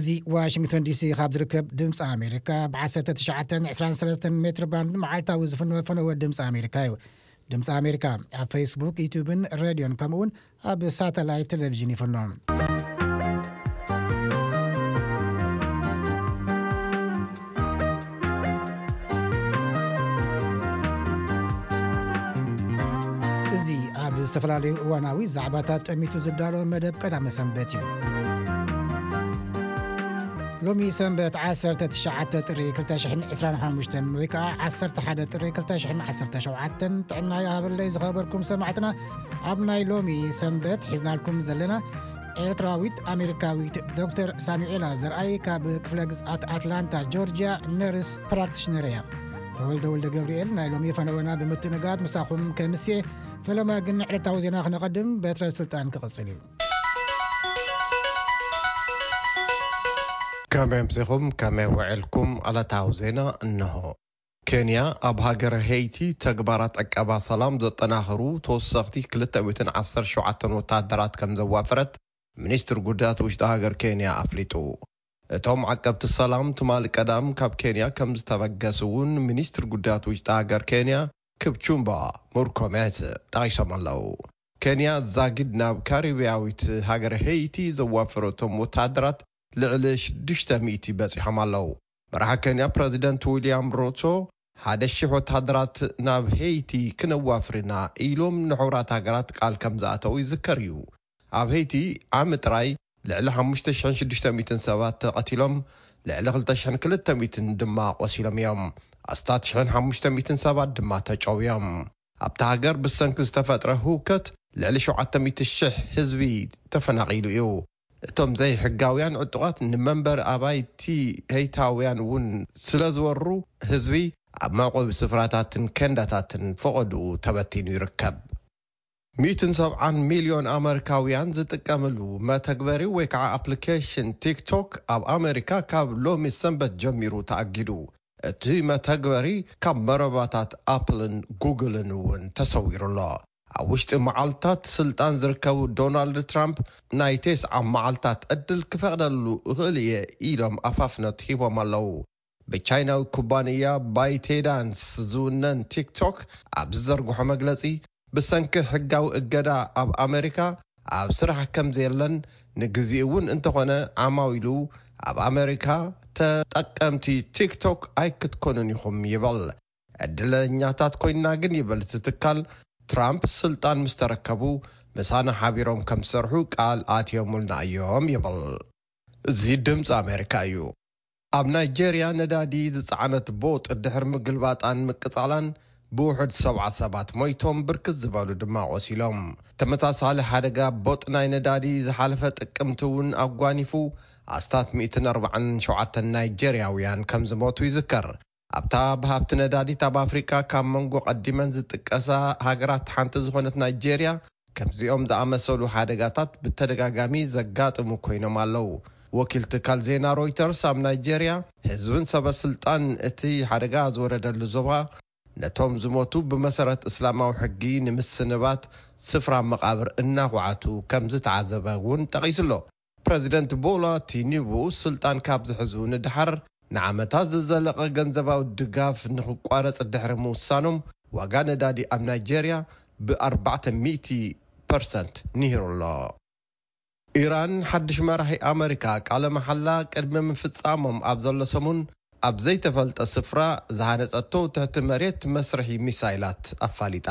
እዚ ዋሽንግተን ዲሲ ካብ ዝርከብ ድምፂ ኣሜሪካ ብ19 23 ሜትር ባንድ መዓልታዊ ዝፍኖ ፈነወ ድምፂ ኣሜሪካ እዩ። ድምፂ ኣሜሪካ ኣብ ፌስቡክ፣ ዩቱብን ሬድዮን ከምኡውን ኣብ ሳተላይት ቴሌቪዥን ይፍኖ። እዚ ኣብ ዝተፈላለዩ እዋናዊ ዛዕባታት ጠሚቱ ዝዳሎ መደብ ቀዳመ ሰንበት እዩ። ሎሚ ሰንበት 19 ጥሪ 2025 ወይ ከዓ 11 ጥሪ 2017 ጥዕና ይሃበለይ ዝኸበርኩም ሰማዕትና። ኣብ ናይ ሎሚ ሰንበት ሒዝናልኩም ዘለና ኤርትራዊት ኣሜሪካዊት ዶክተር ሳሙኤላ ዘርኣይ ካብ ክፍለ ግዝኣት ኣትላንታ ጆርጂያ ነርስ ፕራክቲሽነር እያ። ተወልደ ወልደ ገብርኤል ናይ ሎሚ ፈነወና ብምትንጋት ምሳኹም ከምስየ። ፈለማ ግን ዕለታዊ ዜና ክነቐድም በትረ ስልጣን ክቕጽል እዩ። ከመይ ኣምሲኹም፣ ከመይ ውዕልኩም? ዕለታዊ ዜና እንሆ። ኬንያ ኣብ ሃገረ ሄይቲ ተግባራት ዕቀባ ሰላም ዘጠናኽሩ ተወሰኽቲ 217 ወታደራት ከም ዘዋፈረት ሚኒስትር ጉዳያት ውሽጢ ሃገር ኬንያ ኣፍሊጡ። እቶም ዓቀብቲ ሰላም ትማሊ ቀዳም ካብ ኬንያ ከም ዝተበገሱ እውን ሚኒስትር ጉዳያት ውሽጢ ሃገር ኬንያ ክፕቹምባ ሙርኮሜት ጠቒሶም ኣለዉ። ኬንያ ዛጊድ ናብ ካሪብያዊት ሃገር ሄይቲ ዘዋፈረቶም ወታደራት ልዕሊ 600 በጺሖም ኣለዉ። መራሒ ኬንያ ፕረዚደንት ዊልያም ሩቶ ሓደ ሺሕ ወታደራት ናብ ሄይቲ ክነዋፍርና ኢሎም ንሕቡራት ሃገራት ቃል ከም ዝኣተው ይዝከር እዩ። ኣብ ሄይቲ ዓሚ ጥራይ ልዕሊ 5,600 ሰባት ተቐቲሎም፣ ልዕሊ 2,200 ድማ ቆሲሎም እዮም። ኣስታት 1,500 ሰባት ድማ ተጨውዮም። ኣብታ ሃገር ብሰንኪ ዝተፈጥረ ህውከት ልዕሊ 700,000 ህዝቢ ተፈናቒሉ እዩ። እቶም ዘይሕጋውያን ዕጡቓት ንመንበሪ ኣባይቲ ሄይታውያን እውን ስለ ዝወሩ፣ ህዝቢ ኣብ መዕቆቢ ስፍራታትን ኬንዳታትን ፈቐድኡ ተበቲኑ ይርከብ። 170 ሚልዮን ኣመሪካውያን ዝጥቀምሉ መተግበሪ ወይ ከዓ ኣፕሊኬሽን ቲክቶክ ኣብ ኣመሪካ ካብ ሎሚ ሰንበት ጀሚሩ ተኣጊዱ። እቲ መተግበሪ ካብ መረባታት ኣፕልን ጉግልን እውን ተሰዊሩ ኣሎ። ኣብ ውሽጢ መዓልታት ስልጣን ዝርከቡ ዶናልድ ትራምፕ ናይ ቴስዓ መዓልታት ዕድል ክፈቕደሉ እኽእል እየ ኢሎም ኣፋፍነት ሂቦም ኣለዉ። ብቻይናዊ ኩባንያ ባይቴዳንስ ዝውነን ቲክቶክ ኣብ ዝዘርግሖ መግለጺ፣ ብሰንኪ ሕጋዊ እገዳ ኣብ ኣመሪካ ኣብ ስራሕ ከም ዘየለን፣ ንግዚኡ እውን እንተኾነ ዓማዊሉ ኣብ ኣመሪካ ተጠቀምቲ ቲክቶክ ኣይክትኮኑን ኢኹም ይብል። ዕድለኛታት ኮይንና ግን ይብል እቲ ትካል፣ ትራምፕ ስልጣን ምስ ተረከቡ ምሳና ሓቢሮም ከም ዝሰርሑ ቃል ኣትዮምልና እዮም ይብል። እዚ ድምፂ ኣሜሪካ እዩ። ኣብ ናይጄርያ ነዳዲ ዝፀዓነት ቦጥ ድሕሪ ምግልባጣን ምቅፃላን ብውሑድ 70 ሰባት ሞይቶም፣ ብርክት ዝበሉ ድማ ቆሲሎም። ተመሳሳሊ ሓደጋ ቦጥ ናይ ነዳዲ ዝሓለፈ ጥቅምቲ እውን ኣጓኒፉ ኣስታት 147 ናይጄርያውያን ከም ዝሞቱ ይዝከር። ኣብታ ብሃብቲ ነዳዲት ኣብ ኣፍሪቃ ካብ መንጎ ቀዲመን ዝጥቀሳ ሃገራት ሓንቲ ዝኾነት ናይጄርያ፣ ከምዚኦም ዝኣመሰሉ ሓደጋታት ብተደጋጋሚ ዘጋጥሙ ኮይኖም ኣለዉ። ወኪል ትካል ዜና ሮይተርስ ኣብ ናይጄርያ፣ ህዝብን ሰበ ስልጣን እቲ ሓደጋ ዝወረደሉ ዞባ ነቶም ዝሞቱ ብመሰረት እስላማዊ ሕጊ ንምስንባት ስፍራ መቓብር እናኹዓቱ ከም ዝተዓዘበ እውን ጠቒሱ ኣሎ። ፕረዚደንት ቦላ ቲኒቡ ስልጣን ካብ ዝሕዙ ንድሓር ንዓመታት ዝዘለቐ ገንዘባዊ ድጋፍ ንኽቋረጽ ድሕሪ ምውሳኖም፣ ዋጋ ነዳዲ ኣብ ናይጄርያ ብ400% ንሂሩ ኣሎ። ኢራን ሓድሽ መራሒ ኣመሪካ ቃለ መሓላ ቅድሚ ምፍጻሞም ኣብ ዘሎ ሰሙን ኣብ ዘይተፈልጠ ስፍራ ዝሃነጸቶ ትሕቲ መሬት መስርሒ ሚሳይላት ኣፋሊጣ።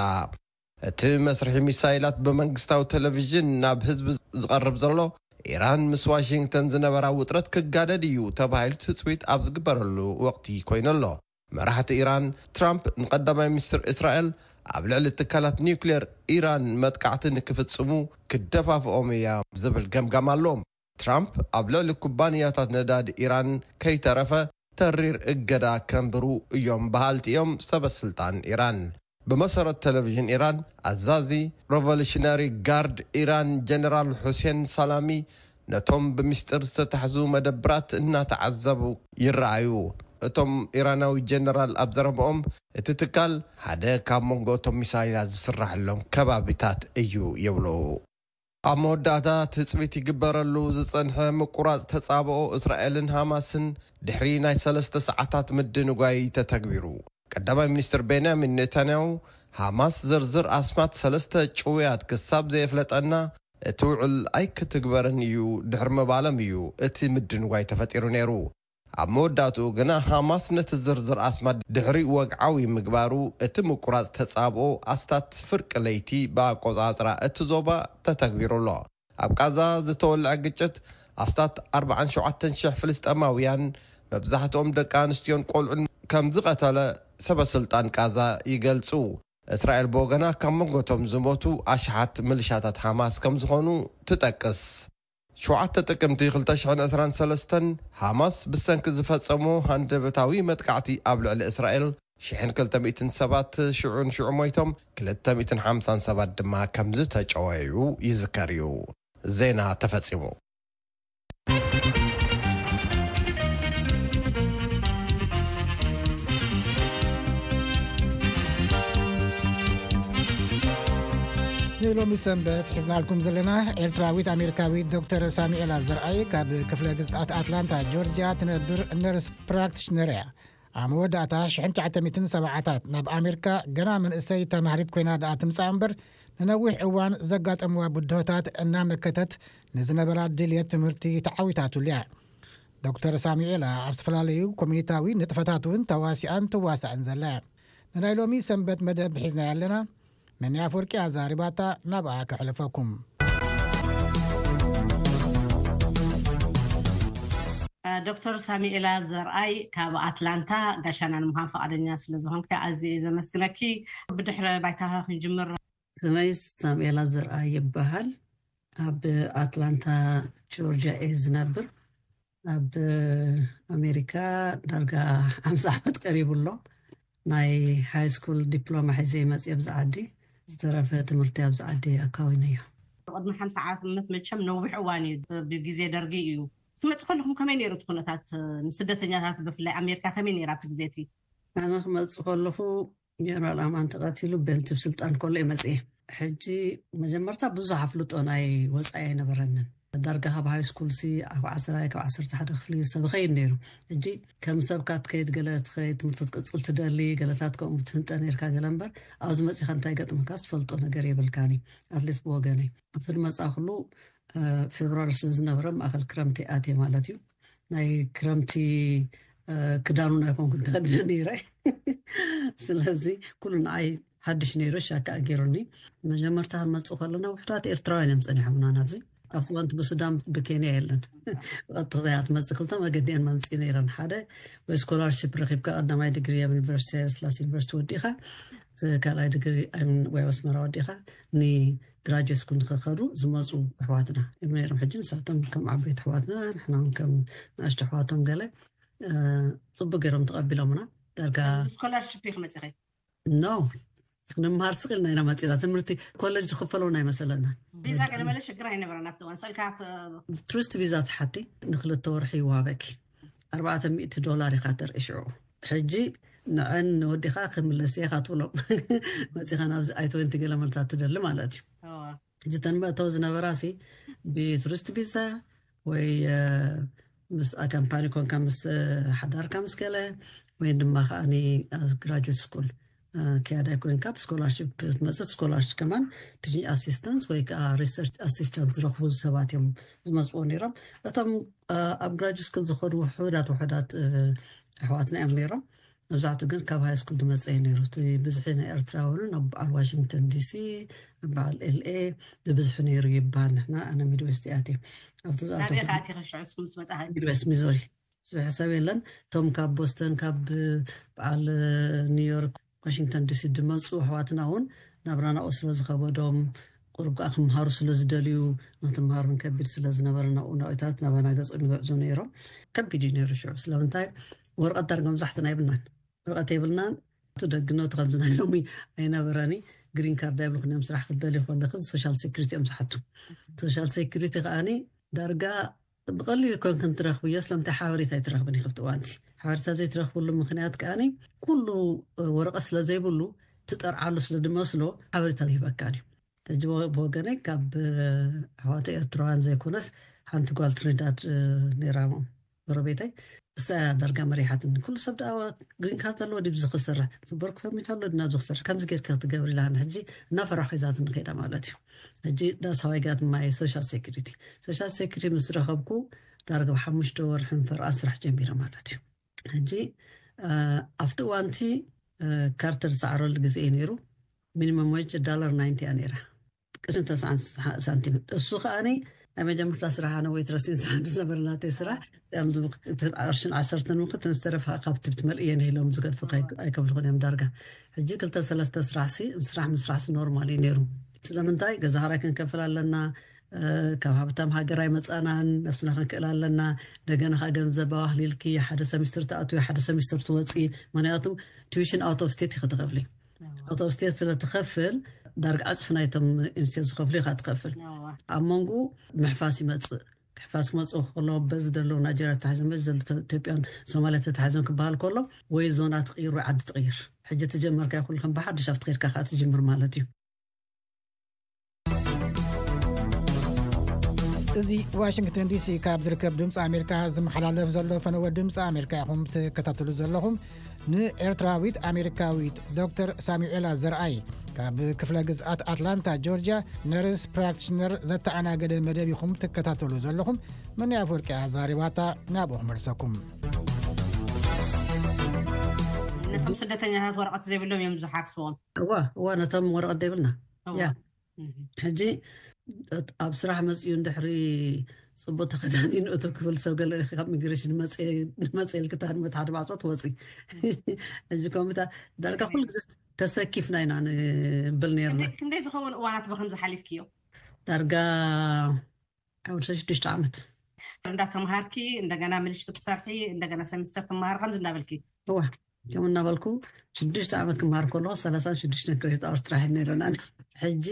እቲ መስርሒ ሚሳይላት ብመንግስታዊ ቴሌቪዥን ናብ ህዝቢ ዝቐርብ ዘሎ፣ ኢራን ምስ ዋሽንግተን ዝነበራ ውጥረት ክጋደድ እዩ ተባሂሉ ትጽቢት ኣብ ዝግበረሉ ወቕቲ ኮይኑ ኣሎ። መራሕቲ ኢራን ትራምፕ ንቀዳማይ ሚኒስትር እስራኤል ኣብ ልዕሊ ትካላት ኒውክሌር ኢራን መጥቃዕቲ ንክፍጽሙ ክደፋፍኦም እያ ዝብል ገምጋም ኣለዎም። ትራምፕ ኣብ ልዕሊ ኩባንያታት ነዳዲ ኢራን ከይተረፈ ተሪር እገዳ ከንብሩ እዮም በሃልቲ እዮም ሰበ ስልጣን ኢራን። ብመሰረት ቴሌቪዥን ኢራን፣ ኣዛዚ ሬቮሉሽነሪ ጋርድ ኢራን ጀነራል ሑሴን ሳላሚ ነቶም ብምስጢር ዝተታሕዙ መደብራት እናተዓዘቡ ይረኣዩ። እቶም ኢራናዊ ጀነራል ኣብ ዘረብኦም፣ እቲ ትካል ሓደ ካብ መንጎ እቶም ሚሳይላት ዝስራሐሎም ከባቢታት እዩ ይብሉ። ኣብ መወዳእታ ትጽቢት ይግበረሉ ዝጸንሐ ምቁራጽ ተጻብኦ እስራኤልን ሃማስን ድሕሪ ናይ ሰለስተ ሰዓታት ምድንጓይ ተተግቢሩ። ቀዳማይ ሚኒስትር ቤንያሚን ኔታንያሁ፣ ሃማስ ዝርዝር ኣስማት ሰለስተ ጭውያት ክሳብ ዘየፍለጠና እቲ ውዕል ኣይክትግበርን እዩ ድሕሪ ምባሎም እዩ እቲ ምድንጓይ ተፈጢሩ ነይሩ። ኣብ መወዳእትኡ ግና ሃማስ ነቲ ዝርዝር ኣስማት ድሕሪ ወግዓዊ ምግባሩ፣ እቲ ምቁራጽ ተጻብኦ ኣስታት ፍርቂ ለይቲ ብኣቆጻጽራ እቲ ዞባ ተተግቢሩ ኣሎ። ኣብ ቃዛ ዝተወልዐ ግጭት ኣስታት ኣርባዓን ሸውዓተን ሽሕ ፍልስጤማውያን፣ መብዛሕትኦም ደቂ ኣንስትዮን ቆልዑን ከም ዝቐተለ ሰበ ስልጣን ቃዛ ይገልጹ። እስራኤል ብወገና ካብ መንጎቶም ዝሞቱ ኣሽሓት ምልሻታት ሃማስ ከም ዝኾኑ ትጠቅስ። ሸውዓተ ጥቅምቲ ክልተ ሽሕን ዕስራን ሰለስተን ሃማስ ብሰንኪ ዝፈጸሞ ሃንደበታዊ መጥቃዕቲ ኣብ ልዕሊ እስራኤል ሽሕን ክልተ ሚእትን ሰባት ሽዑ ንሽዑ ሞይቶም፣ ክልተ ሚእትን ሓምሳን ሰባት ድማ ከም ዝተጨወዩ ይዝከር እዩ። ዜና ተፈጺሙ። ንሎሚ ሰንበት ሒዝናልኩም ዘለና ኤርትራዊት ኣሜሪካዊት ዶክተር ሳሙኤላ ዘርኣይ ካብ ክፍለ ግዝኣት ኣትላንታ ጆርጅያ ትነብር ነርስ ፕራክቲሽነር እያ። ኣብ መወዳእታ ሽሕን ትሽዓተ ሚእትን ሰብዓታት ናብ ኣሜሪካ ገና መንእሰይ ተማሃሪት ኮይና ደኣ ትምጻእ እምበር፣ ንነዊሕ እዋን ዘጋጠምዋ ብድሆታት እናመከተት ንዝነበራ ድልየት ትምህርቲ ተዓዊታትሉ እያ። ዶክተር ሳሙኤላ ኣብ ዝተፈላለዩ ኮሚኒታዊ ንጥፈታት እውን ተዋሲኣን ትዋሳእን ዘላ እያ። ንናይ ሎሚ ሰንበት መደብ ሒዝናያ ኣለና። መን ኣፍወርቂ ኣዛሪባታ፣ ናብኣ ከሕልፈኩም። ዶክተር ሳሙኤላ ዘርኣይ ካብ ኣትላንታ ጋሻና ንምዃን ፈቓደኛ ስለ ዝኾንኪ ኣዝየ እየ ዘመስግነኪ። ብድሕረ ባይታኻ ክንጅምር። ስመይ ሳሙኤላ ዘርኣይ ይበሃል። ኣብ ኣትላንታ ጆርጅያ እየ ዝነብር። ኣብ ኣሜሪካ ዳርጋ ሓምሳ ዓመት ቀሪቡ ኣሎ። ናይ ሃይ ስኩል ዲፕሎማ ሒዘ መፅየ ኣብዚ ዓዲ። ዝተረፈ ትምህርቲ ኣብዚ ዓዲ ኣካዊነዮ። ቅድሚ ሓምሳ ዓመት መቸም ነዊሕ እዋን እዩ፣ ብግዜ ደርጊ እዩ። ክትመጽእ ከለኹም ከመይ ነይሩ እቲ ኩነታት ንስደተኛታት ብፍላይ ኣሜሪካ ከመይ ነይራ ኣብቲ ግዜ እቲ? ኣነ ክመጽእ ከለኹ ጀነራል ኣማን ተቐቲሉ ቤንቲብ ስልጣን ከሎ እየ መጽየ። ሕጂ መጀመርታ ብዙሕ ኣፍልጦ ናይ ወጻኢ ኣይነበረንን። ዳርጋ ካብ ሃይ ስኩል ሲ ኣብ ዓስራይ ካብ ዓሰርተ ሓደ ክፍሊ ሰብ ይኸይድ ነይሩ። ሕጂ ከም ሰብካ ትከይድ፣ ገለ ትኸይድ ትምህርቲ ክትቅጽል ትደሊ፣ ገለታት ከምኡ ትህንጠ ነይርካ ገለ እምበር ኣብዚ መጺኻ እንታይ ገጥመካ ዝፈልጦ ነገር የብልካን እዩ። ኣትሊስት ብወገነይ ኣብቲ ዝመጻ ኩሉ ፌብራሪ ስለ ዝነበረ ማእኸል ክረምቲ ኣትየ ማለት እዩ። ናይ ክረምቲ ክዳን እውን ኣይኮንኩን ተኸዲነ ነይረ። ስለዚ ኩሉ ንዓይ ሓድሽ ነይሩ፣ ሻካ ገይሩኒ። መጀመርታ ክንመፅእ ከለና ውሕዳት ኤርትራውያን እዮም ፀኒሖምና ናብዚ። ኣብቲ እዋን ብሱዳን ብኬንያ የለን። ብቐጥታ እያ ትመፅእ። ክልተ መገዲ እየን መምፅኢ ነይረን። ሓደ ወይ ስኮላርሽፕ ረኺብካ ቀዳማይ ዲግሪ ኣብ ዩኒቨርሲቲ ሃይለስላሴ ዩኒቨርሲቲ ወዲእኻ እቲ ካልኣይ ዲግሪ ወይ ኣብ ኣስመራ ወዲእኻ ንግራጁዌት ስኩል ንኸኸዱ ዝመፁ ኣሕዋትና እዮም ነይሮም። ሕጂ ንሳቶም ከም ዓበይቲ ኣሕዋትና ንሕና እውን ከም ንኣሽቱ ኣሕዋቶም ገለ ፅቡቅ ገይሮም ተቐቢሎምና። ዳርጋ ስኮላርሽፕ ኢኺ መፂኺ? ኖ፣ ክንምሃር ስቕ ኢልና ኢና መፂና። ትምህርቲ ኮሌጅ ዝኽፈለውን ኣይመሰለና። ቪዛ ገለ መለ ሽግር ኣይነበረን ኣብቲ እዋን። ስእልካ ቱሪስት ቪዛ ትሓቲ ንክልተ ወርሒ ይወሃበኪ። ኣርባዕተ ሚእቲ ዶላር ኢኻ ተርኢ ሽዑ። ሕጂ ንዐን ወዲኻ ክምለስ ኢኻ ትብሎም። መፂኻ ናብዚ ኣይ ትወንቲ ገለ መልታት ትደሊ ማለት እዩ። ሕጂ ተን መእተው ዝነበራ ሲ ብቱሪስት ቪዛ ወይ ምስ ካምፓኒ ኮንካ ምስ ሓዳርካ ምስ ገለ ወይ ድማ ከዓኒ ግራጁዌት ስኩል ክያዳይ ኮንካ ብስኮላርሽፕ ክትመፅእ፣ ስኮላርሽፕ ከማን ቲችንግ ኣሲስታንስ ወይ ከዓ ሪሰርች ኣሲስታንስ ዝረኽቡ ሰባት እዮም ዝመፅዎ ነይሮም። እቶም ኣብ ግራጁዌት ስኩል ዝኸዱ ውሑዳት ውሑዳት ኣሕዋትና እዮም ነይሮም። መብዛሕትኡ ግን ካብ ሃይ ስኩል ዝመፀ እዩ ነይሩ። እቲ ብዝሒ ናይ ኤርትራውያንን ኣብ በዓል ዋሽንግተን ዲሲ፣ ኣብ በዓል ኤልኤ ብብዝሒ ነይሩ ይበሃል። ንሕና ኣነ ሚድዌስት እየ ኣትየ። ኣብቲ ዝኣተኹ ናበይ ከ ኣቲኺ ሽዑ እስኪ ምስ መጻኺ? ሚድዌስት ሚዞሪ። ብዙሕ ሰብ የለን። እቶም ካብ ቦስተን፣ ካብ በዓል ኒውዮርክ፣ ዋሽንግተን ዲሲ ዝመፁ ኣሕዋትና እውን ናብራ ናብኡ ስለ ዝኸበዶም፣ ቁሩብ ከዓ ክምሃሩ ስለ ዝደልዩ፣ ንክትምሃር እውን ከቢድ ስለ ዝነበረ ናብኡ ናብታት ናባና ገጾም ይግዕዙ ነይሮም። ከቢድ እዩ ነይሩ ሽዑ። ስለምንታይ? ወረቐት ዳርጋ መብዛሕትና የብልናን። ወረቐት የብልናን። እቲ ደግነቱ ከምዚ ናይ ሎሚ ኣይነበረኒ። ግሪን ካርድ ኣይብልኩን እዮም። ስራሕ ክትደልዩ ከለኺ ሶሻል ሴኩሪቲ እዮም ዝሓቱ። ሶሻል ሴኩሪቲ ከዓኒ ዳርጋ ብቐሊሉ ኮንክን ትረኽብዮ፣ ስለምንታይ ሓበሬታ ኣይትረኽብን ኢኺ ኣብቲ እዋንቲ። ሓበሬታ ዘይትረኽብሉ ምኽንያት ከዓኒ ኩሉ ወረቐት ስለ ዘይብሉ ትጠርዓሉ ስለ ዝመስሎ ሓበሬታ ይህበካን እዩ። ሕጂ ብወገነይ ካብ ኣሕዋተ ኤርትራውያን ዘይኮነስ ሓንቲ ጓል ትሪንዳድ ነይራ፣ ጎረቤተይ። እሳ ዳርጋ መሪሓትን። ኩሉ ሰብ ደኣ ግሪን ካርድ ኣለዎ ድዩ ዝኽሰርሕ? በርኩ ፐርሚት ኣሎ ድዩ ናብዚ ክሰርሕ? ከምዚ ጌርካ ክትገብር ኢላ ሕጂ እናፈራኹ ሒዛትኒ ከይዳ ማለት እዩ። ሕጂ ዳስ ሃዋይ ጋት ማይ ሶሻል ሴኩሪቲ። ሶሻል ሴኩሪቲ ምስ ረኸብኩ ዳርጋ ሓሙሽተ ወርሒ ፈርቓ ስራሕ ጀሚረ ማለት እዩ። ሕጂ ኣብቲ እዋንቲ ካርተር ዝሰዓረሉ ግዜ እዩ ነይሩ። ሚኒመም ዌጅ ዳላር ናይንቲ እያ ነይራ፣ ቅርሽን ተስዓን ሳንቲም። እሱ ከዓኒ ናይ መጀመርታ ስራሕ ኣነ ዌይትረስ ኢን ዝነበረ ናተይ ስራሕ። ቅርሽን ዓሰርተን ምክት ንዝተረፈ ካብቲ ብትመልእየን ኢሎም ዝገድፉ ኣይከፍልኹን እዮም ዳርጋ። ሕጂ ክልተ ሰለስተ ስራሕ ሲ ስራሕ ምስራሕ ሲ ኖርማል እዩ ነይሩ። ስለምንታይ ገዛ ክራይ ክንከፍል ኣለና፣ ካብ ሃብታም ሃገር ኣይመፃናን፣ ነፍስና ክንክእል ኣለና። እንደገና ከዓ ገንዘብ ኣዋህሊልኪ ሓደ ሰሚስተር ትኣትዊ ሓደ ሰሚስተር ትወፂ። ምክንያቱም ቱዊሽን ኣውት ኦፍ ስቴት ኢኺ ትኸፍሊ። ኣውት ኦፍ ስቴት ስለ ትኸፍል ዳርጋ ዕፅፊ ናይቶም ኢንስቴት ዝኸፍሉ ኢኻ ትኸፍል። ኣብ መንጎ ምሕፋስ ይመፅእ። ምሕፋስ ክመፅእ ከሎ በዚ ዘለዉ ናይጀርያ ተታሒዞም በዚ ዘለዉ ኢትዮጵያን ሶማልያ ተታሒዞም ክበሃል ከሎ ወይ ዞና ትቕይር ወይ ዓዲ ትቕይር። ሕጂ ትጀመርካ ይኹን ከም ብሓድሽ ኣብቲ ከይድካ ከዓ ትጅምር ማለት እዩ። እዚ ዋሽንግተን ዲሲ ካብ ዝርከብ ድምፂ ኣሜሪካ ዝመሓላለፍ ዘሎ ፈነወ ድምፂ ኣሜሪካ ኢኹም ትከታተሉ ዘለኹም። ንኤርትራዊት ኣሜሪካዊት ዶክተር ሳሙኤላ ዘርኣይ ካብ ክፍለ ግዝኣት ኣትላንታ ጆርጅያ ነርስ ፕራክቲሽነር ዘተኣናገደ መደብ ኢኹም ትከታተሉ ዘለኹም። መን ኣፈወርቂ ኣዛሪባታ ናብኡ ክመልሰኩም። ነቶም ስደተኛታት ወረቐት ዘይብሎም እዮም ዝሓፍስዎም። እዋ እዋ ነቶም ወረቐት ዘይብልና ያ ሕጂ ኣብ ስራሕ መፅኡ እንድሕሪ ፅቡቅ ተኸዳዲኑ እቶ ክብል ሰብ ገለ ካብ ሚግሬሽን መፀ ኢልክታ ንመት ሓደ ማዕፆ ትወፂ። ሕጂ ከምታ ዳርጋ ኩሉ ግዜ ተሰኪፍና ኢና ንብል ነርና። ክንደይ ዝኸውን እዋናት ብከምዚ ሓሊፍክዮ? ዳርጋ ዓውደ ሽዱሽተ ዓመት እንዳተምሃርኪ እንደገና ምልሽ ክትሰርሒ እንደገና ሰሚስተር ትምሃር ከምዚ እናበልኪ እዋ ከም እናበልኩ ሽዱሽተ ዓመት ክምሃር ከለኹ ሰላሳን ሽዱሽተን ክሬዲት ኣወርስ ጥራሕ ነይረና። ሕጂ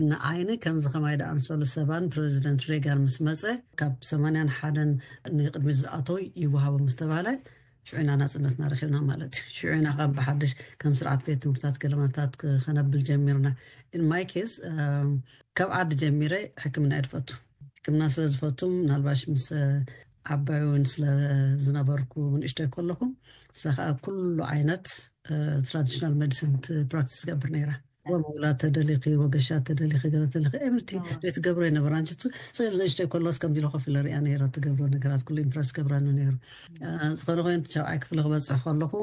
ንዓይኒ ከምዚ ከማይ ደኣምሰሉ ሰባን ፕሬዚደንት ሬጋን ምስ መፀ ካብ ሰማንያን ሓደን ንቅድሚት ዝኣተው ይወሃቦ ምስ ተባህለ ሽዑ ኢና ናፅነትና ረኪብና ማለት እዩ። ሽዑ ኢና ካብ ብሓድሽ ከም ስርዓት ቤት ትምህርታት ገለመታት ከነብል ጀሚርና። ኢን ማይ ኬስ ካብ ዓዲ ጀሚረ ሕክምና እየ ዝፈቱ። ሕክምና ስለ ዝፈቱ ምናልባሽ ምስ ዓባይ እውን ስለ ዝነበርኩ ንእሽተይ ከለኹ እሳ ከዓ ኩሉ ዓይነት ትራዲሽናል ሜዲሲን ፕራክቲስ ገብር ነይራ። ወላ ተደሊኺ ወገሻ ተደሊኺ ገለ ተደሊኺ ኤምርቲ ዘይትገብሮ ይነበራ። ንስኢል ንእሽተይ ከሎስ ከምዚ ኢለ ኮፍ ኢለ ሪኣ ነይረ ትገብሮ ነገራት ኩሉ ኢምፕረስ ገብራኒ ነይሩ። ዝኾነ ኮይኑ ሻብዓይ ክፍሊ ክበፅሕ ከለኹ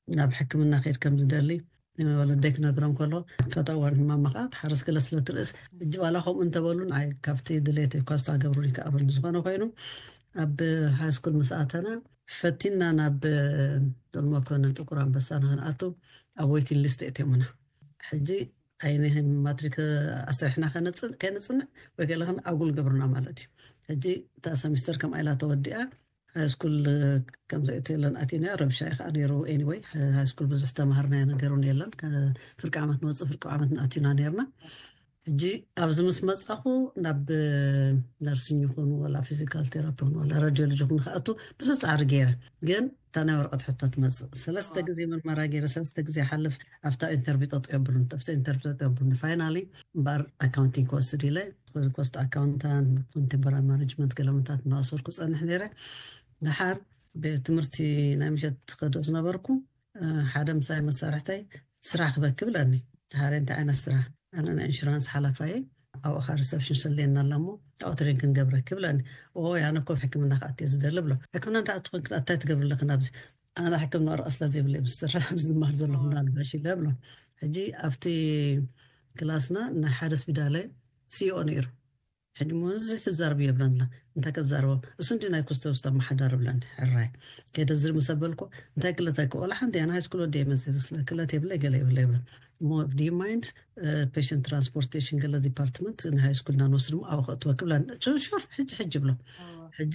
ናብ ሕክምና ከይድ ከም ዝደሊ ወለደይ ክነግሮም ከሎ ፈተወን ህማማ ከዓ ትሓርስ ገለ ስለ ትርእስ እጂ ዋላ ከምኡ እንተበሉን ኣይ ካብቲ ድሌት እኳ ዝተገብሩን ይከኣበል ዝኾነ ኮይኑ ኣብ ሃይስኩል ምስ ኣተና ፈቲና ናብ ዶልመኮነ ጥቁር ኣንበሳ ንክንኣቱ ኣብ ዌይቲንግ ሊስት እትዮምና። ሕጂ ኣይንህን ማትሪክ ኣስሪሕና ከይንፅንዕ ወይ ገለ ኣጉል ገብርና ማለት እዩ። ሕጂ እታ ሰሚስተር ከምኣ ኢላ ተወዲኣ ሃይስኩል ከምዘእትየለን ኣቲና ረብሻ እዩ ከዓ ነይሩ። ኤኒወይ ሃይስኩል ብዙሕ ተማሃርናዮ ነገሩን የለን። ፍርቂ ዓመት ንወፅእ ፍርቂ ዓመት ንኣቲና ነርና። ሕጂ ኣብዚ ምስ መፃኹ ናብ ነርሲንግ ይኹን ዋላ ፊዚካል ቴራፒ ይኹን ዋላ ራዲዮሎጂ ይኹን ክኣቱ ብዙሕ ፃዕሪ ገይረ። ግን እታ ናይ ወረቐት ሕቶ ትመፅእ ሰለስተ ግዜ ምርመራ ገይረ ሰለስተ ግዜ ሓልፍ ኣብታ ኢንተርቪው ጠጠው የብሉን ኣብታ ኢንተርቪው ጠጠው የብሉን። ፋይናሊ እምበኣር ኣካውንቲንግ ክወስድ ኢለ ኮስት ኣካውንታንት ኮንቴምፖራሪ ማኔጅመንት ገለመታት እናወሰድኩ ፀንሕ ነይረ። ድሓር ቤት ትምህርቲ ናይ ምሸት ትኸዶ ዝነበርኩ ሓደ ምሳይ መሳርሕተይ ስራሕ ክበኪ ብለኒ። ድሓር እንታይ ዓይነት ስራሕ? ኣነ ናይ ኢንሹራንስ ሓላፋየ ኣብኡ ካ ሪሰፕሽን ሰልየና ኣለሞ ኣውትሬን ክንገብረኪ ብለኒ። ኦ ኣነ ኮፍ ሕክምና ክኣትየ ዝደሊ ብሎ። ሕክምና እንታይ ትኾን ክኣታይ ትገብሪ ኣለኺ ናብዚ? ኣነ ሕክምና ወረቐት ስለ ዘይብለይ ብዝሰርሕ ዝማር ዘለኹ ምናልባሽ ኢለ ብሎ። ሕጂ ኣብቲ ክላስና ናይ ሓደ ስፒዳለ ሲኦ ነይሩ። ሕጂ ሞ እዚ ትዛረብ የብለና እንታይ ከዛርቦ እሱ እንዲ ናይ ኩስተ ውስጥ ኣመሓዳር ብለኒ። ሕራይ ከይደ ዝር ምስ ኣበልኩ እንታይ ክለት ኣይኮ ወላ ሓንቲ ኣነ ሃይስኩል ወዲ መፅእ ስለ ክለት የብለ ገለ የብለ ይብለ። ሞ ዲ ማይንድ ፔሽንት ትራንስፖርቴሽን ገለ ዲፓርትመንት ንሃይስኩልና ንወስድ ሞ ኣብኡ ከእትወ ክብለኒ። ሹር ሕጂ ሕጂ ብሎ። ሕጂ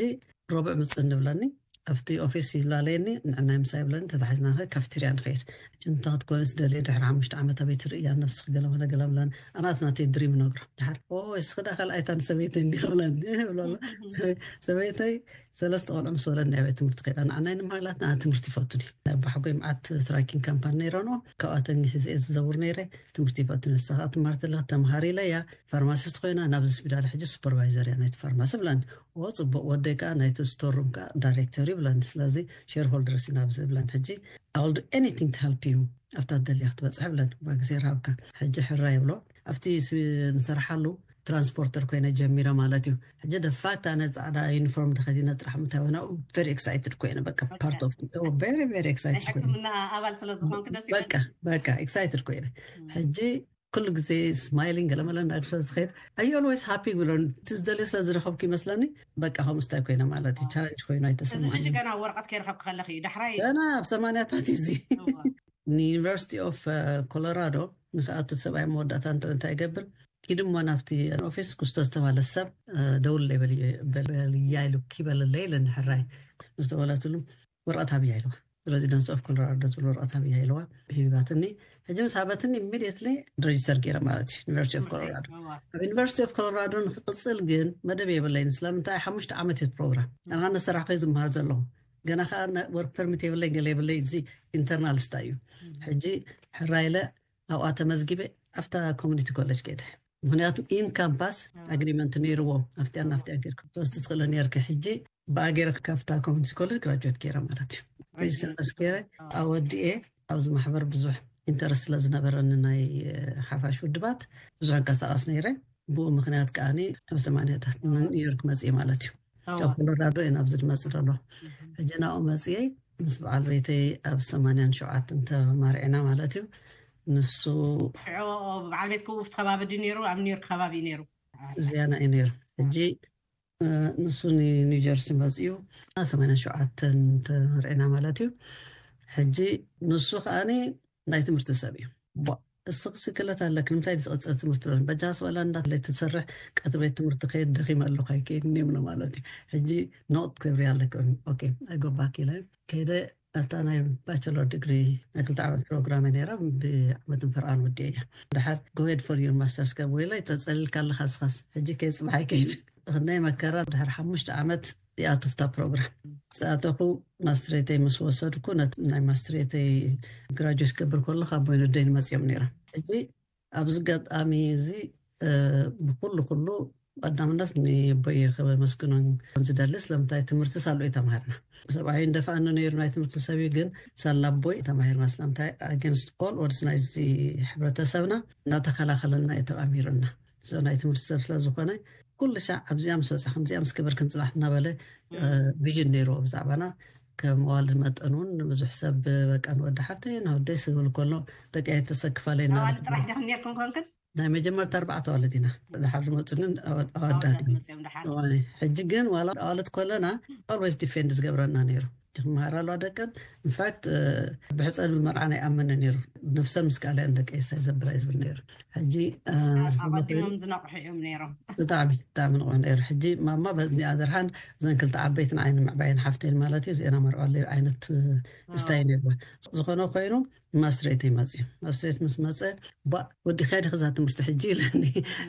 ረቡዕ ምፅእ ንብለኒ። ኣብቲ ኦፊስ ይላለየኒ፣ ንዕናይ ምሳይ ይብለኒ፣ ተታሒዝና ንኸይድ፣ ካፍቴርያ ንኸይድ። ሽንታ ክትኮንስ ደልየ ድሕሪ ሓሙሽተ ዓመት ኣበይ ትርእያ ነፍስኺ፣ ገለመለ ገለመለን። ኣናት ናተይ ድሪም ነግሮ። ድሓር፣ "ኦ፣ እስኺ ዳ ካልኣይታ ንሰበይተይ እንዲ ክብለኒ?" ይብሎ ኣሎ። ሰበይ-፣ ሰበይተይ ሰለስተ ቆልዑ ምስ ወለድና ቤት ትምህርቲ ከይዳ። ንዓናይ ንማላት ንዓ ትምህርቲ ይፈቱን እዩ። ናይ ባሕጎይ መዓት ትራኪንግ ካምፓኒ ነይረንኦ። ካብኣተን ሒዘ እየ ዝዘውር ነይረ። ትምህርቲ ይፈቱን እዩ። ንሳ ከዓ ትማር ተላ ተምሃር ኢለ እያ። ፋርማሲስት ኮይና ናብዚ ስፒዳል ሕጂ ሱፐርቫይዘር እያ ናይቲ ፋርማሲ ብላኒ። "ኦ፣ ጽቡቕ፣ ወደይ ከዓ ናይቲ ስቶር ሩም ከዓ ዳይሬክተር እዩ" ብላኒ። "ስለዚ ሼርሆልደርስ ኢና ኣብዚ" ብላኒ። ሕጂ "I will do anything to help you ኣብታ ደልያ ክትበጽሕ" ብላኒ። "ዋ፣ ግዜ ረሃብካ። ሕጂ ሕራ ይብሎ ኣብቲ ስ-፣ ንሰርሓሉ ትራንስፖርተር ኮይነ ጀሚረ ማለት እዩ። ሕጂ ደፋት ኣነ ጻዕዳ ዩኒፎርም ተኸዲነ ጥራሕ ምታይ ሆና very excited ኮይነ፣ በቃ part of the፣ oh፣ very very ናይ excited ኮይነ። ሕክምና ኣባል ስለ ዝኾንክ ደስ ይብል። በቃ በቃ excited ኮይነ። ሕጂ ኩሉ ግዜ ስማይሊንግ ገለመለ እንዳግሰ ዝኸይድ፣ "Are you always happy?" ብሎ፣ እቲ ዝደልዮ ስለ ዝረኸብኩ ይመስለኒ። በቃ ከምኡ ስታይ ኮይነ ማለት እዩ። ቻለንጅ ኮይኑ እዚ ኣይተሰማዕን። ሕጂ ገና ወረቐት ከይረኸብክ ከለኺ እዩ ዳሕራይ ገና ኣብ ሰማንያታት እዚ እዋ። ንዩኒቨርሲቲ ኦፍ ኮሎራዶ ንክኣቱ ሰብኣይ መወዳእታ እንተ እንታይ ይገብር፣ "ኪድ እሞ ናብቲ ኦፊስ ክስቶ ዝተባለ ሰብ፣ እ፣ ደውለይ በል-፣ በልያ" ኢሉ፣ "ኪበለለይ" ኢለ ንሕራይ ምስ ደወለትሉ፣ "ወረቐት ሃብያ" ኢልዋ። "ሬዚደንስ ኦፍ ኮሎራዶ ዝብል ወረቐት ሃብያ" ኢልዋ። ሂባትኒ። ሕጂ ምስ ሃበትኒ ኢሚዲየትሊ ሬጅስተር ገይረ ማለት እዩ፣ ዩኒቨርሲቲ ኦፍ ኮሎራዶ። እዋ። ኣብ ዩኒቨርሲቲ ኦፍ ኮሎራዶ ንክቕጽል ግን መደብ የብለይን። ስለምንታይ? ሓሙሽተ ዓመት እዩ ፕሮግራም። ኣና ነሰራሕ ኮይ ዝመሃር ዘለኹ። ገና ከዓ ወርክ ፐርሚት የብለይ፣ ገለ የብለይ። እዚ ኢንተርናል ስታይ እዩ። ሕጂ ሕራይ ኢለ ኣብኣ ተመዝጊበ ኣብታ ኮሚኒቲ ኮሌጅ ከይደ። ምክንያቱ ኢን ካምፓስ ኣግሪመንት ነይርዎም። ኣብቲያን ናፍቲያን ከይድካ ክትወስድ ትኽእሊ ነይርኪ። ሕጂ ብኣገይረ ካብታ ኮሚኒቲ ኮሌጅ ግራጁዌት ገይረ ማለት እዩ። ሬጅስተር ምስ ገይረ ኣወዲኤ ኣብዚ ማሕበር ብዙሕ ኢንተረስት ስለ ዝነበረኒ ናይ፣ እ፣ ሓፋሽ ውድባት ብዙሕ እንቀሳቐስ ነይረ። ብኡ ምክንያት ከዓኒ ኣብ ሰማንያታት ኒውዮርክ መፅእ ማለት እዩ። እዋ። ካብ ኮሎራዶ እየ ናብዚ ዝመፅእ ዘሎ። ሕጂ ናብኡ መፅየ ምስ በዓል ቤተይ ኣብ ሰማንያን ሸውዓተን ተማሪዕና ማለት እዩ። ንሱ ሽዑ በዓል ቤት ክውፍት ከባቢ ድዩ ነይሩ? ኣብ ኒውዮርክ ከባቢ እዩ ነይሩ። እዚያና እዩ ነይሩ። ሕጂ፣ እ፣ ንሱ ኒ-፣ ኒውጀርሲ መፅዩ፣ ሰማንያን ሸውዓተን ተመርዕና ማለት እዩ። ሕጂ ንሱ ከዓኒ ናይ ትምህርቲ ሰብ እዩ። ቧ፣ እስኺ ስክለት ኣለክ፣ ንምንታይ ዝቐፀል ትምህርቲ ሎ? በጃ ስበላ እንዳ ትሰርሕ ቀትሪ ቤት ትምህርቲ ከየድ ደኺመ ኣለኹ ኣይከይድን እዮም ሎ ማለት እዩ። ሕጂ ኖት ክብሪ ኣለክ። ኦኬ፣ ኣይጎባክ ኢለ ከይደ። ኣብታ ናይ ባቸለር ዲግሪ ናይ ክልተ ዓመት ፕሮግራም እያ ነይራ፣ ብዓመትን ፈርቓን ወዲአ እያ። ድሓር go ahead for your masters ካብ ወይላ ተጸሊልካ ኣለኻ ስኻስ፣ ሕጂ ከይ ጽባሕ ኣይከይድ። ክንደይ መከራ፣ ድሓር ሓሙሽተ ዓመት ይኣቱ ፍታ ፕሮግራም። ዝኣተኹ ማስትሬተይ ምስ ወሰድኩ፣ ነት-፣ ናይ ማስትሬተይ ግራጁዌት ክገብር ከለኹ ኣቦይ ንደይ ንመጽኦም ነይራ። ሕጂ ኣብዚ ኣጋጣሚ እዚ፣ እ፣ ብኩሉ ኩሉ ቀዳምነት ንቦይ ከመስግኖን ዝደሊ፣ ስለምንታይ ትምህርቲ ሳሉ እዩ ተማሂርና። ሰብኣይ እንደፋኣኒ ነይሩ ናይ ትምህርቲ ሰብ እዩ፣ ግን ሳላ ኣቦይ ተማሂርና። ስለምንታይ? Against all odds ናይዚ ሕብረተሰብና እናተኸላኸለልና እዩ ተቓሚሩና። So ናይ ትምህርቲ ሰብ ስለ ዝኾነ ኩሉ ሻዕ ኣብዚኣ ምስ በጻ፣ ከምዚኣ ምስ ገበርክን ጽባሕ እናበለ፣ እ፣ ቪዥን ነይርዎ ብዛዕባና። ከም ዋልድ መጠን እውን ብዙሕ ሰብ በቃ ንወዲ ሓብተይ፣ ንወደይ ስብል ከሎ ደቂ ኣይተሰክፋለይ እናበለት ኣዋልድ ጥራሕ ዲኹም ነርኩም ኮንክን? ናይ መጀመርታ ኣርባዕተ ኣዋልድ ኢና። ድሓር ዝመፁ ግን ኣወ-፣ ኣወዳት ኣወዳት እዮም። መፅኦም ድሓር። እዋይ፣ ሕጂ ግን ዋላ ኣዋልድ ከለና always ዲፌንድ ዝገብረና ነይሩ። ክመሃራ ኣለዋ ደቀን። ኢንፋክት፣ እ፣ ብሕፀን ብመርዓ ናይ ኣመነ ነይሩ። ነፍሰን ምስ ካልያን ደቂ የሳይ ዘብላ እዩ ዝብል ነይሩ። ሕጂ፣ እ፣ ዝኾነ ኮይኑ ኣቐዲሞም ዝነቕሑ እዮም ነይሮም። ብጣዕሚ፣ ብጣዕሚ ንቑሕ ነይሩ። ሕጂ ማማ በ-፣ እኒኣ ደርሃን እዘን ክልተ ዓበይትን ዓይኒ ምዕባይን ሓፍተይን ማለት እዩ። እዚአን ኣመርዖለይ ዓይነት፣ እ፣ ስታይ ነይሩ። ዝኾነ ኮይኑ ማስትሬተይ መፅዩ። ማስትሬት ምስ መፀ፣ "ባ፣ ወዲኻ ዲኺ እዛ ትምህርቲ ሕጂ?" ኢለኒ።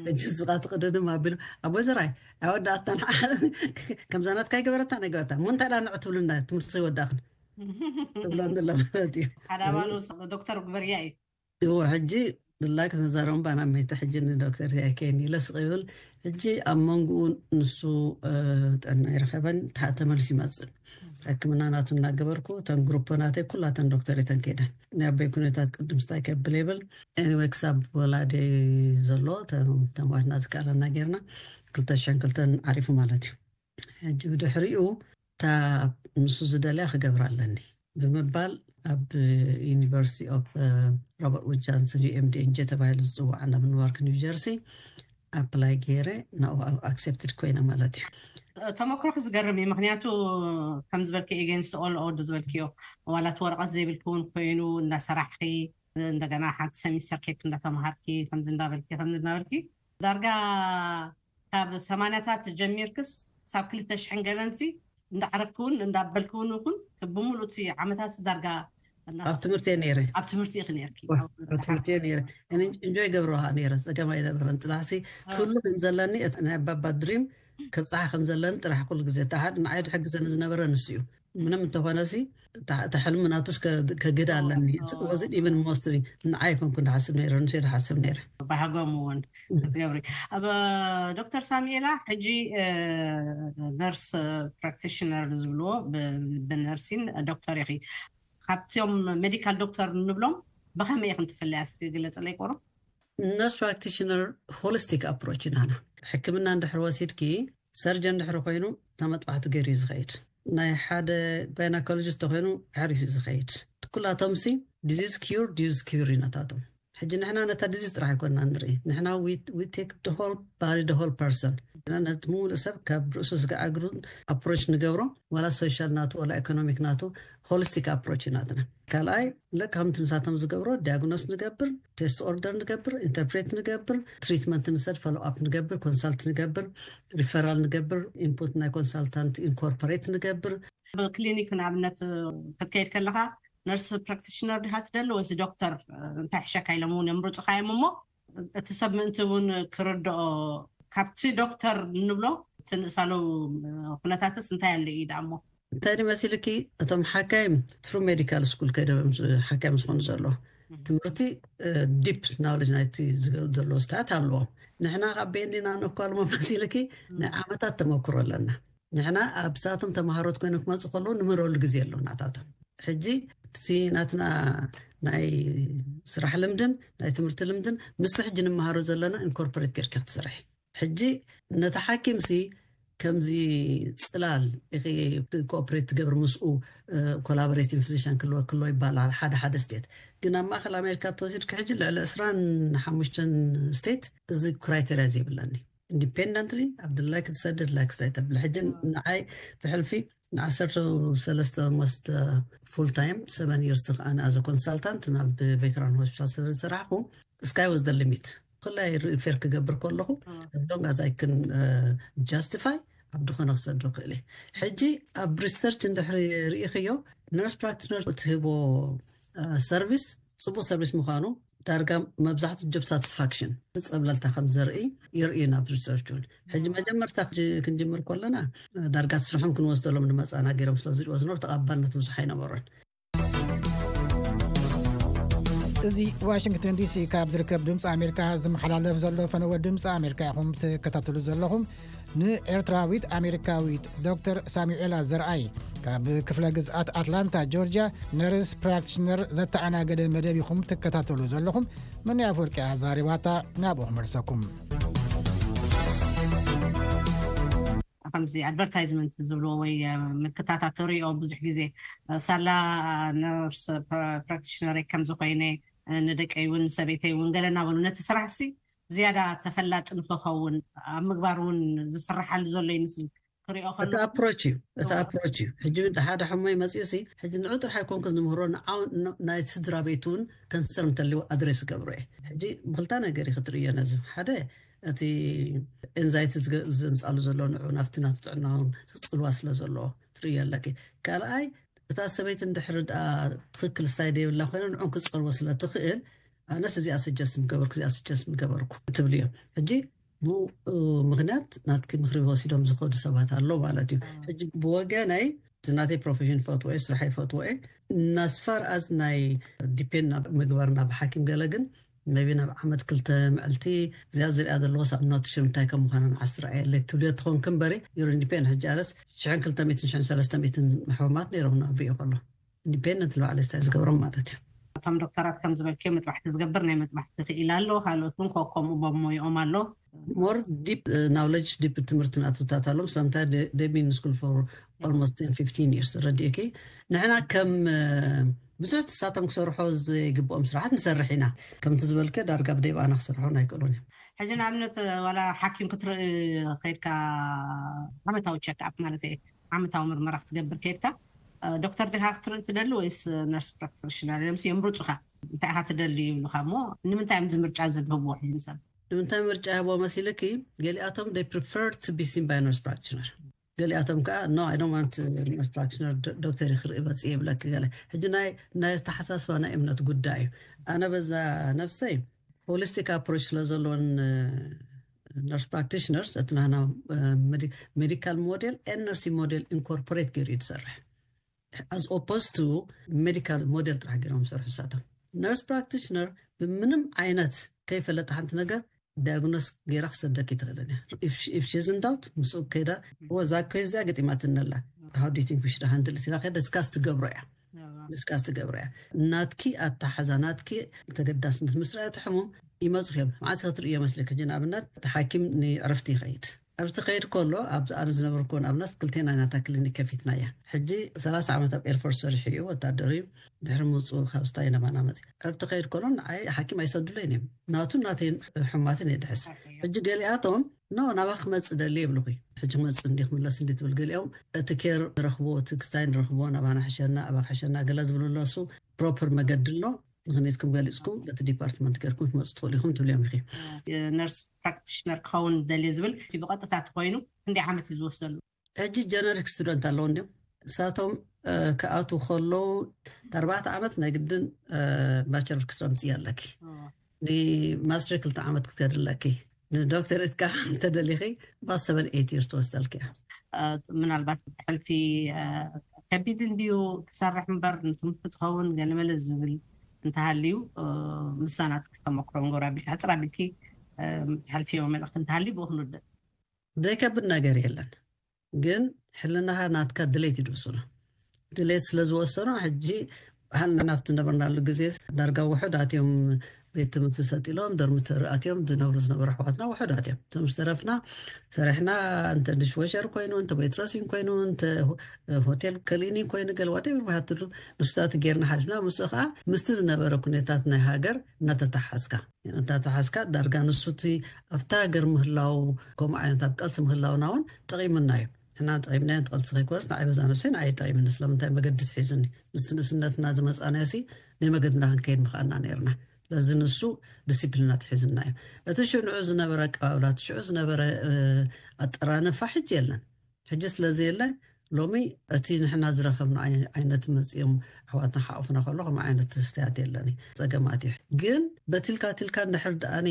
ሕጂ ስኻ ትቕደድም ኣቢሉ፣ "ኣቦ ዘራይ፣ ኣይወዳእታን ከምዛ ናትካ ኣይገበረታ፣ ኣይገበረታ። እሞ እንታይ ደኣ ንዑ ትብሉና? ትምህርቲ ከይወዳእኽን?" ትብሎ እንድለ ማለት እዩ። ሓደ ኣባሉ ዶክተር ግበርያ እዩ። እዎ፣ ሕጂ ድላ ክንዛረቡ ባና መይተ ሕጂ ንዶክተር ያኬን ኢለ ስቕ ይብል። ሕጂ ኣብ መንጎኡ ንሱ፣ እ፣ ጥዕና ይረኸበን፣ ተሓ-፣ ተመልሱ ይመጽእ። ሕክምና ናቱ እናገበርኩ፣ እተን ግሩፖ ናተይ ኩላተን ዶክተር እተን ከይደን። ናይ ኣቦይ ኩነታት ቅድም ስታይ ከብል የብል። ኤኒወይ፣ ክሳብ ወላዲ ዘሎ፣ ተ-፣ ተማዋትና ዝከኣለና ጌርና፣ ክልተ ሽሕን ክልተን ዓሪፉ ማለት እዩ። ሕጂ ብድሕሪኡ እታ ንሱ ዝደልያ ክገብራ ኣለኒ ብምባል ኣብ ዩኒቨርሲቲ ኦፍ፣ እ፣ ሮበርት ውድ ጃንሰን፣ ዩ ኤም ዲ ኤን ጂ ተባሂሉ ዝፅዋዕ ናብ ኒውዮርክ ኒው ጀርሲ ኣፕላይ ገይረ ናብኡ ኣክሴፕትድ ኮይነ ማለት እዩ። ተመክሮክ ዝገርም እዩ። ምክንያቱ ከም ዝበልኪ ኤጌንስት ኦል ኦድ ዝበልክዮ ዋላት ወረቐት ዘይብልኪ እውን ኮይኑ እናሰራሕኪ እንደገና ሓንቲ ሰሚስተር ኬክ እንዳተምሃርኪ ከምዚ እንዳበልኪ ከምዚ እንዳበልኪ ዳርጋ ካብ ሰማንያታት ጀሚርክስ ሳብ ክልተ ሽሕን ገለንሲ እንዳዓረፍክውን እንዳበልክውን ይኹን፣ እቲ ብምሉእ እቲ ዓመታት ዳርጋ እና- ኣብ ትምህርቲ እየ ነይረ ኣብ ትምህርቲ ኢኺ ነርኪ? ኣብ ትምህርቲ እየ ነይረ። እንጆይ ገብረዋ ነይረ፣ ፀገም ኣይነበረን። ጥላሕሲ ክህሉ ከም ዘለኒ፣ እቲ ናይ ኣባባ ድሪም ከብፅሓ ከም ዘለኒ ጥራሕ ኩሉ ግዜ ተሓድ ንዓይ ድሕግዘኒ ዝነበረ ንሱ እዩ። ምንም እንተኾነ ሲ፣ እታ ሕልሚ ናቱስ ከግድ ኣለኒ። ወዝን ኢቨን ሞስትሊ ንዓይ ኮንኩ ድሓስብ ነይረ፣ ንሱ ድሓስብ ነይረ። ባህጎም እውን ክትገብሪ። ኣብ ዶክተር ሳሙኤላ ሕጂ ነርስ ፕራክቲሽነር ዝብልዎ፣ ብነርሲን ዶክተር ኢኺ። ካብቶም ሜዲካል ዶክተር እንብሎም ብኸመይ ኢኽን ትፍለያ? እስቲ ግለፅለይ ቆሮ። ነርስ ፕራክቲሽነር ሆሊስቲክ ኣፕሮች ኢና። ሕክምና እንድሕር ወሲድኪ፣ ሰርጀን ድሕሪ ኮይኑ ተመጥባሕቲ ገይሩ እዩ ዝኸይድ። ናይ ሓደ ጋይናኮሎጂስት ተኮይኑ ድሕሪት እዩ ዝኸይድ። ኩላቶም ሲ ዲዚዝ ኪዩር፣ ዲዚዝ ኪዩር እዩ ነታቶም። ሕጂ ንሕና ነታ ዲዚዝ ጥራሕ ኣይኮንና ንርኢ፣ ንሕና ቴክ ሆል ባዲ፣ ሆል ፐርሰን። ነቲ ሙሉእ ሰብ ካብ ርእሱ ስጋዕ እግሩ ኣፕሮች ንገብሮ፣ ዋላ ሶሻል ናቱ ዋላ ኢኮኖሚክ ናቱ፣ ሆሊስቲክ ኣፕሮች እዩ ናትና። ካልኣይ፣ ልክ ከምቲ ንሳቶም ዝገብሮ፣ ዲያግኖስ ንገብር፣ ቴስት ኦርደር ንገብር፣ ኢንተርፕሬት ንገብር፣ ትሪትመንት ንሰድ፣ ፎሎ ኣፕ ንገብር፣ ኮንሳልት ንገብር፣ ሪፈራል ንገብር፣ ኢንፑት ናይ ኮንሳልታንት ኢንኮርፖሬት ንገብር። ኣብ ክሊኒክ ንኣብነት ክትከይድ ከለኻ፣ ነርስ ፕራክቲሽነር ድሃ ትደሊ ወይስ ዶክተር እንታይ ሕሸካ ኢሎም እውን የምርፁኻ እዮም። እሞ እቲ ሰብ ምእንቲ እውን ክርድኦ፣ ካብቲ ዶክተር እንብሎ እቲ ንእሳሉ ኩነታትስ እንታይ ኣለ እዩ ደኣ እሞ? እንታይ ድመሲልኪ፣ እቶም ሓካይም ትሩ ሜዲካል ስኩል ከይዶም ሓካይም ዝኾኑ ዘሎ ትምህርቲ ዲፕ ናውሌጅ ናይቲ ዘለዎ ስታት ኣለዎም። ንሕና ካብ ቤንዲና ነኳልሞ መሲልኪ፣ ናይ ዓመታት ተመክሮ ኣለና። ንሕና ኣብ ሳቶም ተምሃሮት ኮይኖም ክመፁ ከለዉ ንምህረሉ ግዜ ኣሎ ናታቶም። ሕጂ እቲ ናትና ናይ ስራሕ ልምድን ናይ ትምህርቲ ልምድን ምስቲ ሕጂ ንምሃሮ ዘለና ኢንኮርፖሬት ጌርካ ክትሰርሒ። ሕጂ ነቲ ሓኪምሲ ከምዚ ፅላል ኢኺ ኮኦፕሬት ትገብር ምስኡ ኮላቦሬቲንግ ፊዚሽን ክልወ ክሎ ይባላል ሓደ ሓደ ስቴት። ግን ኣብ ማእከል ኣሜሪካ ተወሲድካ ሕጂ ልዕሊ ዕስራን ሓሙሽተን ስቴት እዚ ክራይቴሪያ ዘይብለኒ ኢንዲፔንደንትሊ ኣብ ድላይ ክትሰድድ ላይክ ስታይ ተብል። ሕጂ ንዓይ ብሕልፊ ንዓሰርተ ሰለስተ ሞስት ፉል ታይም ሰቨን ይርስ ኣነ ኣዘ ኮንሳልታንት ናብ ቬተራን ሆስፒታል ስለ ዝሰራሕኩ ስካይ ወዝ ደ ሊሚት። ኩላይ ሪፌር ክገብር ከለኹ ሎንግ ኣዝ ኣይ ክን ጃስቲፋይ ኣብ ድኾነ ክሰዶ ክእል እየ። ሕጂ ኣብ ሪሰርች እንድሕሪ ርኢኽዮ ነርስ ፕራክቲሽነር እትህቦ ሰርቪስ ፅቡቅ ሰርቪስ ምዃኑ ዳርጋ መብዛሕትኡ ጆብ ሳቲስፋክሽን ጸብለልታ ከም ዘርኢ ይርእዩ ናብ ሪሰርች እውን። ሕጂ መጀመርታ ክንጅምር ከለና ዳርጋ ስርሖም ክንወስደሎም ንመጻና ገይሮም ስለ ዝሪኦ ዝነበሩ ተቐባልነት ብዙሕ ኣይነበሮን። እዚ ዋሽንግተን ዲሲ ካብ ዝርከብ ድምፂ ኣሜሪካ ዝመሓላለፍ ዘሎ ፈነወ ድምፂ ኣሜሪካ ኢኹም ትከታተሉ ዘለኹም። ንኤርትራዊት ኣሜሪካዊት ዶክተር ሳሙኤላ ዘርኣይ ካብ ክፍለ ግዝኣት ኣትላንታ ጆርጅያ ነርስ ፕራክቲሽነር ዘተኣናገደ መደብ ኢኹም ትከታተሉ ዘለኹም። መን ኣፈወርቂ ኣዛሪባታ ናብኡ ክመልሰኩም። ከምዚ ኣድቨርታይዝመንት ዝብልዎ ወይ ምልክታታት ትሪኦ ብዙሕ ግዜ ሳላ ነርስ ፕራክቲሽነር ከም ዝኾይነ ንደቀይ እውን ሰበይተይ እውን ገለ እናበሉ ነቲ ስራሕሲ ዝያዳ ተፈላጢ ንክኸውን ኣብ ምግባር እውን ዝስራሓሉ ዘሎ ይመስል። ክሪኦ እቲ ኣፕሮች እዩ እቲ ኣፕሮች እዩ። ሕጂ ሓደ ሕሞይ መፅኡ ሲ ሕጂ ንዑ ጥራሕ ኣይኮንኩ ዝምህሮ ናይ ስድራ ቤት እውን ከንሰር እንተልዎ ኣድሬስ ገብሮ እየ። ሕጂ ብክልታ ነገር እዩ ክትርእዮ ነዚ ሓደ እቲ ኤንዛይቲ ዘምፃሉ ዘሎ ንዑ ናብቲ ናቱ ጥዕና እውን ፅልዋ ስለ ዘለዎ ትርእዮ ኣለኪ። ካልኣይ እታ ሰበይቲ እንድሕር ደኣ ትኽክል ስታይ ደይብላ ኮይና ንዑን ክፀልዎ ስለ ትኽእል ኣነስ እዚኣ ስጀስት ምገበርኩ እዚኣ ስጀስት ምገበርኩ ትብል እዮም። ሕጂ ብኡ ምክንያት ናትኪ ምክሪ ወሲዶም ዝኸዱ ሰባት ኣሎ ማለት እዩ። ሕጂ ብወገነይ እቲ ናተይ ፕሮፌሽን ፈትወ ስራሕ ይፈትወ ናስፋር ኣዝ ናይ ዲፔንድ ናብ ምግባር ናብ ሓኪም ገለ ግን ቢ ናብ ዓመት ክልተ ምዕልቲ እዚኣ ዝሪኣ ዘለዎ ሳብ ኖትሽን እንታይ ከም ምዃኑ ንዓስ ርኣየለይ ትብልዮ ትኸውን ክንበሪ ዩር ኢንዲፔንድ ሕጂ ኣነስ ሽሕን ክልተ ሚትን ሽሕን ሰለስተ ሚትን ሕሙማት ነይሮም ናብ ሪኦ ከሎ ኢንዲፔንደንት ንባዕለይ ስታይ ዝገብሮም ማለት እዩ። እቶም ዶክተራት ከም ዝበልክዮ መጥባሕቲ ዝገብር ናይ መጥባሕቲ ክኢላ ኣሎ። ካልኦት እውን ኮ- ከምኡ በሞይኦም ኣሎ። ሞር ዲፕ ናውለጅ ዲፕ ትምህርቲ ናትታት ኣሎም ስለምንታይ ደቢን ስኩል ፎር almost ten fifteen years ረዲእኪ ንሕና ከም ብዙሕ ትሳቶም ክሰርሖ ዘይግብኦም ስራሓት ንሰርሕ ኢና። ከምቲ ዝበልከ ዳርጋ ብደይ ብኣና ክሰርሖ ኣይክእሉን እዮም። ሕጂ ንኣብነት ዋላ ሓኪም ክትርኢ ከይድካ ዓመታዊ ቸክ ኣፕ ማለት እየ ዓመታዊ ምርመራ ክትገብር ከይድካ ዶክተር ዲኻ ክትርኢ ትደሊ ወይስ ነርስ ፕራክቲሽነር? ስ የምርፁኻ እንታይ ኢኻ ትደሊ ይብሉኻ እሞ ንምንታይ እዮም እዚ ምርጫ ዝህብዎ? ሕጂ ሰብ ንምንታይ ምርጫ ይህብዎ መሲልኪ? ገሊኣቶም they prefer to be seen by nurse practitioner ገሊኣቶም ከዓ no, I don't want nurse practitioner፣ ዶክተር ክርኢ መፅእ ይብለክ ገለ። ሕጂ ናይ ናይ ኣተሓሳስባ ናይ እምነት ጉዳይ እዩ። ኣነ በዛ ነፍሰይ ሆሊስቲክ ኣፕሮች ስለዘለዎን ነርስ ፕራክቲሽነርስ እቲ ናና ሜዲካል ሞዴል ኤን ነርሲንግ ሞዴል ኢንኮርፖሬት ገይሩ እዩ ዝሰርሕ። As opposed to ሜዲካል ሞዴል ጥራሕ ገይሮም ዝሰርሑ ንሳቶም። ነርስ ፕራክቲሽነር ብምንም ዓይነት ከይፈለጠ ሓንቲ ነገር ዳያግኖስ ገይራ ክሰደክ ይትኽእልን እያ። If she's in doubt ምስኡ ከይዳ ወዛ ኮይዚያ ገጢማትነላ how do you think we should handle it ኢላ ከይዳ ዲስካስ ትገብሮ እያ። ዲስካስ ትገብሮ እያ። ናትኪ ኣተሓዛ ናትኪ ተገዳስነት ምስ ረኣየት ሕሙም ይመፁ እዮም። መዓስ ክትርእዮ መስለክ? ሕጂ ንኣብነት እቲ ሓኪም ንዕረፍቲ ይኸይድ። ዕረፍቲ ከይድ ከሎ ኣብ ኣነ ዝነበርኩ ንኣብነት ክልቴና ናታ ክሊኒክ ከፊትና እያ። ሕጂ ሰላሳ ዓመት ኣብ ኤርፎርስ ሰሪሑ እዩ፣ ወታደር እዩ። ድሕሪ ምውፅኡ ካብ ስታይ ናባና መፅእ ዕረፍቲ ከይድ ከሎ ንዓይ ሓኪም ኣይሰዱለይን እዮም። ናቱ ናተይን ሕማትን የድሕስ። ሕጂ ገሊኣቶም ኖ ናባ ክመፅእ ደሊ የብልኹ። ሕጂ ክመፅእ እንዲ ክምለስ እንዲ ትብል ገሊኦም እቲ ኬር ንረኽቦ እቲ ክስታይ ንረኽቦ ናባና ሕሸና ኣባ ክሕሸና ገለ ዝብሉ ኣለሱ። ፕሮፐር መገዲ ኣሎ። ምክንያትኩም ገሊፅኩም በቲ ዲፓርትመንት ገርኩም ትመፁ ትኽእሉ ኢኹም ትብልዮም ኢኺ። ነርስ ፕራክቲሽነር ክኸውን ደልየ ዝብል እቲ ብቐጥታ ተኮይኑ ክንደይ ዓመት እዩ ዝወስደሉ? ሕጂ ጀነሪክ ስቱደንት ኣለዉ እንዲም እሳቶም ክኣትዉ ከለዉ ኣርባዕተ ዓመት ናይ ግድን ባቸለር ክስራ ምፅእ ኣለኪ። ንማስተር ክልተ ዓመት ክትከድ ኣለኪ። ንዶክተሬት ከዓ እንተደሊኺ ባሰበን ኤት ይርስ ትወስደልኪ እያ። ምናልባት ሕልፊ ከቢድ እንድዩ ክሰርሕ እምበር ንትምህርቲ ትኸውን ገለመለ ዝብል እንተሃልዩ ምሳናት ክተመክሮ ንገብር ኣቢልኪ ሕፅር ኣቢልኪ ሕልፊ መልእክቲ እንተሃልዩ ብኡ ክንውድእ። ዘይከብድ ነገር የለን ግን ሕልናኻ ናትካ ድሌት ይድውስኖ። ድሌት ስለ ዝወሰኖ ሕጂ ሃልና ናብቲ ነበርናሉ ግዜ ዳርጋ ውሑዳት እዮም ቤት ትምህርቲ ሰጢሎም ዶርሚተሪ ኣትዮም ዝነብሩ ዝነበሩ ኣሕዋትና ውሑዳት እዮም። ትምህርቲ ተረፍና ሰሪሕና እንተ ድሽወሸር ኮይኑ እንተ ቤትረሲን ኮይኑ እንተ ሆቴል ከሊኒ ኮይኑ ገለ ዋቴቨር ባሃትሉ ንሱታት ጌርና ሓሊፍና። ምስኡ ከዓ ምስቲ ዝነበረ ኩነታት ናይ ሃገር እናተተሓዝካ እናተሓዝካ ዳርጋ ንሱ እቲ ኣብታ ሃገር ምህላው ከምኡ ዓይነት ኣብ ቀልሲ ምህላውና እውን ጠቒሙና እዩ። ንሕና ጠቒምናዮ ንትቐልሲ ከይኮነስ ንዓይ በዛ ነብሰይ ንዓይ ጠቒምኒ። ስለምንታይ መገዲ ትሒዙኒ ምስቲ ንእስነትና ዝመፃናዮ ሲ ናይ መገድና ክንከይድ ምኽኣልና ነይርና። ስለዚ ንሱ ዲሲፕሊና ትሒዙና እዩ። እቲ ሽንዑ ዝነበረ ኣቀባብላ እቲ ሽዑ ዝነበረ ኣጠራንፋ ሕጂ የለን። ሕጂ ስለዚ የለ ሎሚ እቲ ንሕና ዝረኸብና ዓይነት መፅኦም ኣሕዋትና ሓቑፍና ከሎ ከም ዓይነት ትስትያት የለን። ፀገማት እዩ ግን በትልካ ትልካ እንድሕር ደኣኒ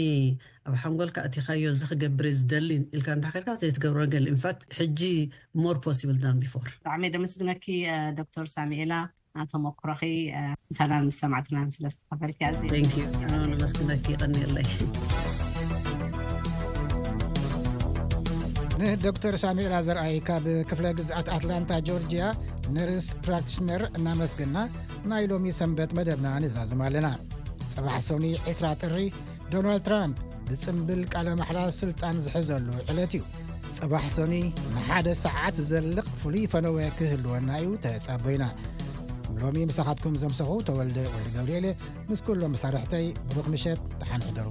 ኣብ ሓንጎልካ ኣቲኻዮ እዚ ክገብር ዝደሊ ኢልካ እንድሕር ከልካ ዘይትገብሮ ነገር ኢንፋክት ሕጂ more possible than before። ብጣዕሚ ደመስግነኪ ዶክተር ሳሙኤላ ተመክሮኺ ምሳና ምስ ሰማዕትና ስለ ዝተኸፈልኪ ኣዝየ Thank you። ኣነ እውን ኣመስግነኪ። ይቐንየለይ። ንዶክተር ሳሙኤላ ዘርኣይ ካብ ክፍለ ግዝኣት ኣትላንታ ጆርጅያ ነርስ ፕራክቲሽነር እናመስገና ናይ ሎሚ ሰንበት መደብና ንዛዝም ኣለና። ጽባሕ ሰኑይ ዕስራ ጥሪ ዶናልድ ትራምፕ ብጽምብል ቃለ ማሕላ ስልጣን ዝሕዘሉ ዕለት እዩ። ጽባሕ ሰኑይ ንሓደ ሰዓት ዝዘልቕ ፍሉይ ፈነወ ክህልወና እዩ ተጸበዩና። ሎሚ ምሳኻትኩም ዘምሰኹ ተወልደ ወልደ ገብርኤል ምስ ኩሎም መሳርሕተይ ብሩኽ ምሸት ደሓን ሕደሩ።